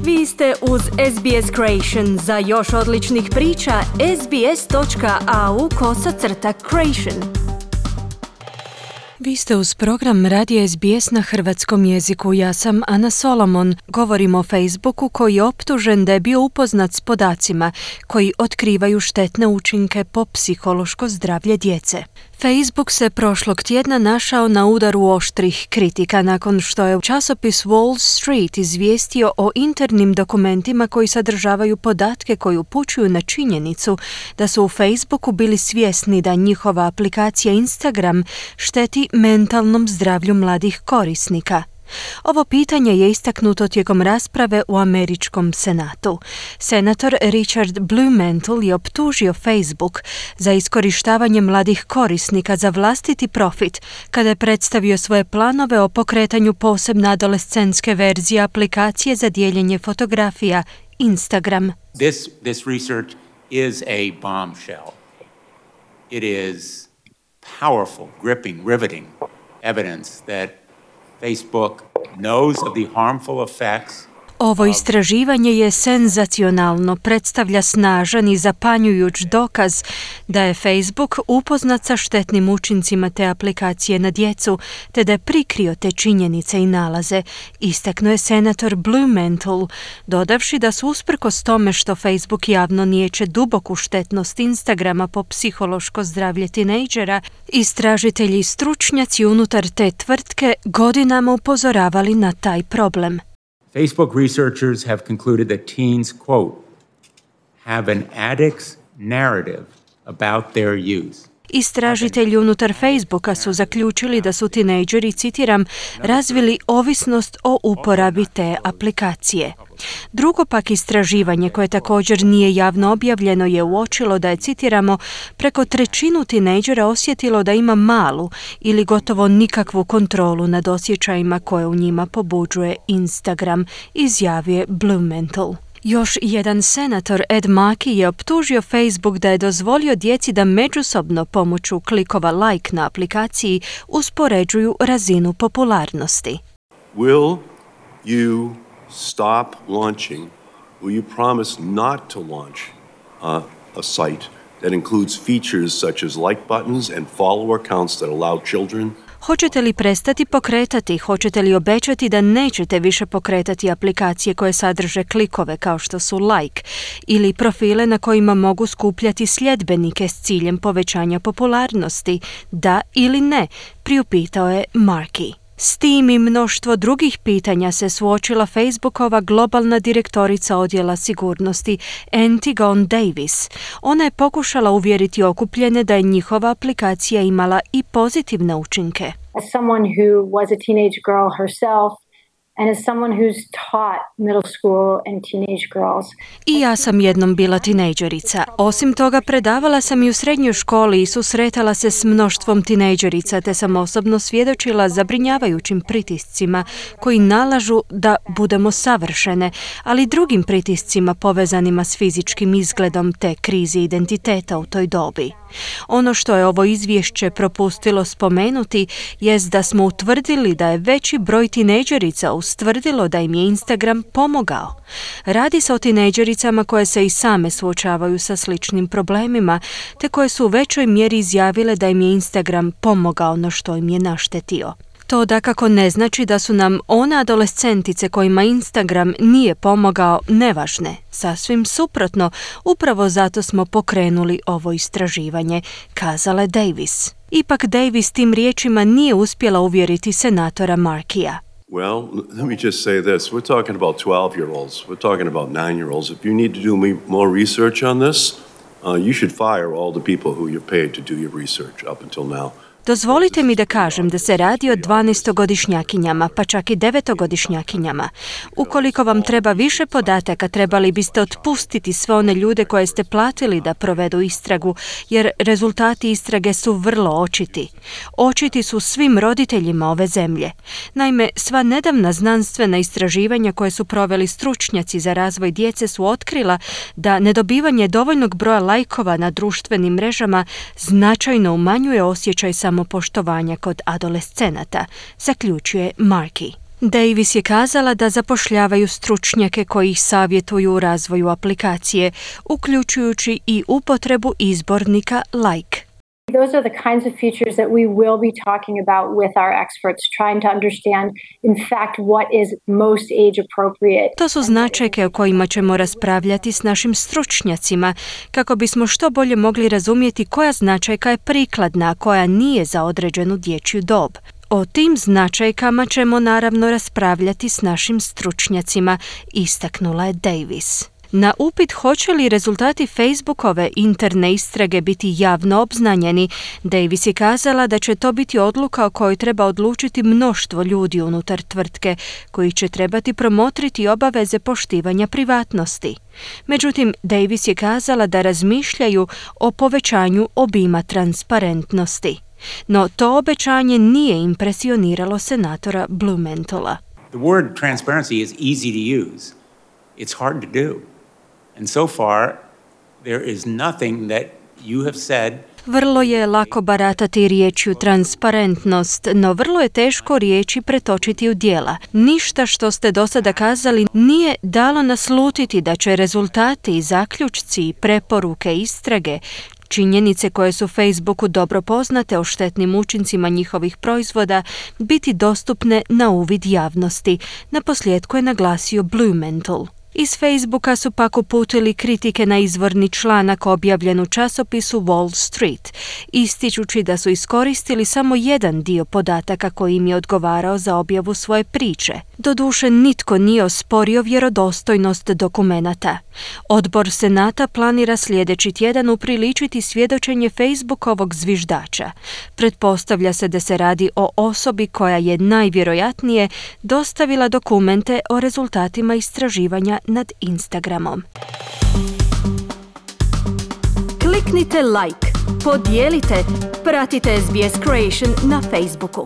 Vi ste uz SBS Creation. Za još odličnih priča, sbs.au/creation. Vi ste uz program Radija SBS na hrvatskom jeziku. Ja sam Ana Solomon. Govorimo o Facebooku koji je optužen da je bio upoznat s podacima koji otkrivaju štetne učinke po psihološko zdravlje djece. Facebook se prošlog tjedna našao na udaru oštrih kritika nakon što je časopis Wall Street izvijestio o internim dokumentima koji sadržavaju podatke koji upućuju na činjenicu da su u Facebooku bili svjesni da njihova aplikacija Instagram šteti mentalnom zdravlju mladih korisnika. Ovo pitanje je istaknuto tijekom rasprave u američkom senatu. Senator Richard Blumenthal je optužio Facebook za iskorištavanje mladih korisnika za vlastiti profit kada je predstavio svoje planove o pokretanju posebne adolescentske verzije aplikacije za dijeljenje fotografija Instagram. This research is a bombshell. It is powerful, gripping, riveting evidence that Facebook knows of the harmful effects. Ovo istraživanje je senzacionalno, predstavlja snažan i zapanjujuć dokaz da je Facebook upoznat sa štetnim učincima te aplikacije na djecu, te da je prikrio te činjenice i nalaze, istaknuo je senator Blumenthal, dodavši da su usprkos tome što Facebook javno niječe duboku štetnost Instagrama po psihološko zdravlje tinejdžera, istražitelji i stručnjaci unutar te tvrtke godinama upozoravali na taj problem. Facebook researchers have concluded that teens, quote, have an addict's narrative about their use. Istražitelji unutar Facebooka su zaključili da su tinejdžeri, citiram, razvili ovisnost o uporabi te aplikacije. Drugo pak istraživanje, koje također nije javno objavljeno, je uočilo da je, citiramo, preko trećinu tinejdžera osjetilo da ima malu ili gotovo nikakvu kontrolu nad osjećajima koje u njima pobuđuje Instagram, izjavio je Blumenthal. Još jedan senator, Ed Markey, je optužio Facebook da je dozvolio djeci da međusobno pomoću klikova like na aplikaciji uspoređuju razinu popularnosti. Will you stop launching? Will you promise not to launch a site that includes features such as like buttons and follower accounts that allow children? Hoćete li prestati pokretati? Hoćete li obećati da nećete više pokretati aplikacije koje sadrže klikove kao što su like ili profile na kojima mogu skupljati sljedbenike s ciljem povećanja popularnosti? Da ili ne? Priupitao je Markey. S tim i mnoštvo drugih pitanja se suočila Facebookova globalna direktorica odjela sigurnosti Antigone Davis. Ona je pokušala uvjeriti okupljene da je njihova aplikacija imala i pozitivne učinke. As someone who was a teenage girl herself, and as someone who's taught middle school and teenage girls. I ja sam jednom bila tinejdžerica. Osim toga, predavala sam i u srednjoj školi i susretala se s mnoštvom tinejdžerica, te sam osobno svjedočila zabrinjavajućim pritiscima koji nalažu da budemo savršene, ali drugim pritiscima povezanima s fizičkim izgledom te krizi identiteta u toj dobi. Ono što je ovo izvješće propustilo spomenuti jest da smo utvrdili da je veći broj tinejdžerica ustvrdilo da im je Instagram pomogao. Radi se o tinejdžericama koje se i same suočavaju sa sličnim problemima, te koje su u većoj mjeri izjavile da im je Instagram pomogao no što im je naštetio. To dakako ne znači da su nam one adolescentice kojima Instagram nije pomogao nevažne. Sasvim suprotno, upravo zato smo pokrenuli ovo istraživanje, kazala Davis. Ipak Davis tim riječima nije uspjela uvjeriti senatora Markeya. Well, let me just say this. We're talking about 12-year-olds. We're talking about 9-year-olds. If you need to do more research on this, you should fire all the people who you paid to do your research up until now. Dozvolite mi da kažem da se radi o 12-godišnjakinjama, pa čak i 9-godišnjakinjama. Ukoliko vam treba više podataka, trebali biste otpustiti sve one ljude koje ste platili da provedu istragu, jer rezultati istrage su vrlo očiti. Očiti su svim roditeljima ove zemlje. Naime, sva nedavna znanstvena istraživanja koje su proveli stručnjaci za razvoj djece su otkrila da nedobivanje dovoljnog broja lajkova na društvenim mrežama značajno umanjuje osjećaj samopoštovanja kod adolescenata, zaključuje Markey. Davis je kazala da zapošljavaju stručnjake koji ih savjetuju u razvoju aplikacije, uključujući i upotrebu izbornika like. Those are the kinds of features that we will be talking about with our experts, trying to understand, in fact, what is most age appropriate. To su značajke o kojima ćemo raspravljati s našim stručnjacima, kako bismo što bolje mogli razumjeti koja značajka je prikladna, a koja nije za određenu dječju dob. O tim značajkama ćemo naravno raspravljati s našim stručnjacima, istaknula je Davis. Na upit hoće li rezultati Facebookove interne istrage biti javno obznanjeni, Davis je kazala da će to biti odluka o kojoj treba odlučiti mnoštvo ljudi unutar tvrtke, koji će trebati promotriti obaveze poštivanja privatnosti. Međutim, Davis je kazala da razmišljaju o povećanju obima transparentnosti. No to obećanje nije impresioniralo senatora Blumenthala. The word transparency is easy to use. It's hard to do. And so far, there is nothing that you have said. Vrlo je lako baratati riječju transparentnost, no vrlo je teško riječi pretočiti u djela. Ništa što ste do sada kazali nije dalo naslutiti da će rezultati, zaključci, preporuke, istrage, činjenice koje su Facebooku dobro poznate o štetnim učincima njihovih proizvoda biti dostupne na uvid javnosti, naposljetku je naglasio Blumenthal. Iz Facebooka su pak uputili kritike na izvorni članak objavljen u časopisu Wall Street, ističući da su iskoristili samo jedan dio podataka koji im je odgovarao za objavu svoje priče. Doduše, nitko nije osporio vjerodostojnost dokumenata. Odbor Senata planira sljedeći tjedan upriličiti svjedočenje Facebookovog zviždača. Pretpostavlja se da se radi o osobi koja je najvjerojatnije dostavila dokumente o rezultatima istraživanja nad Instagramom. Kliknite like, podijelite, pratite SBS Creation na Facebooku.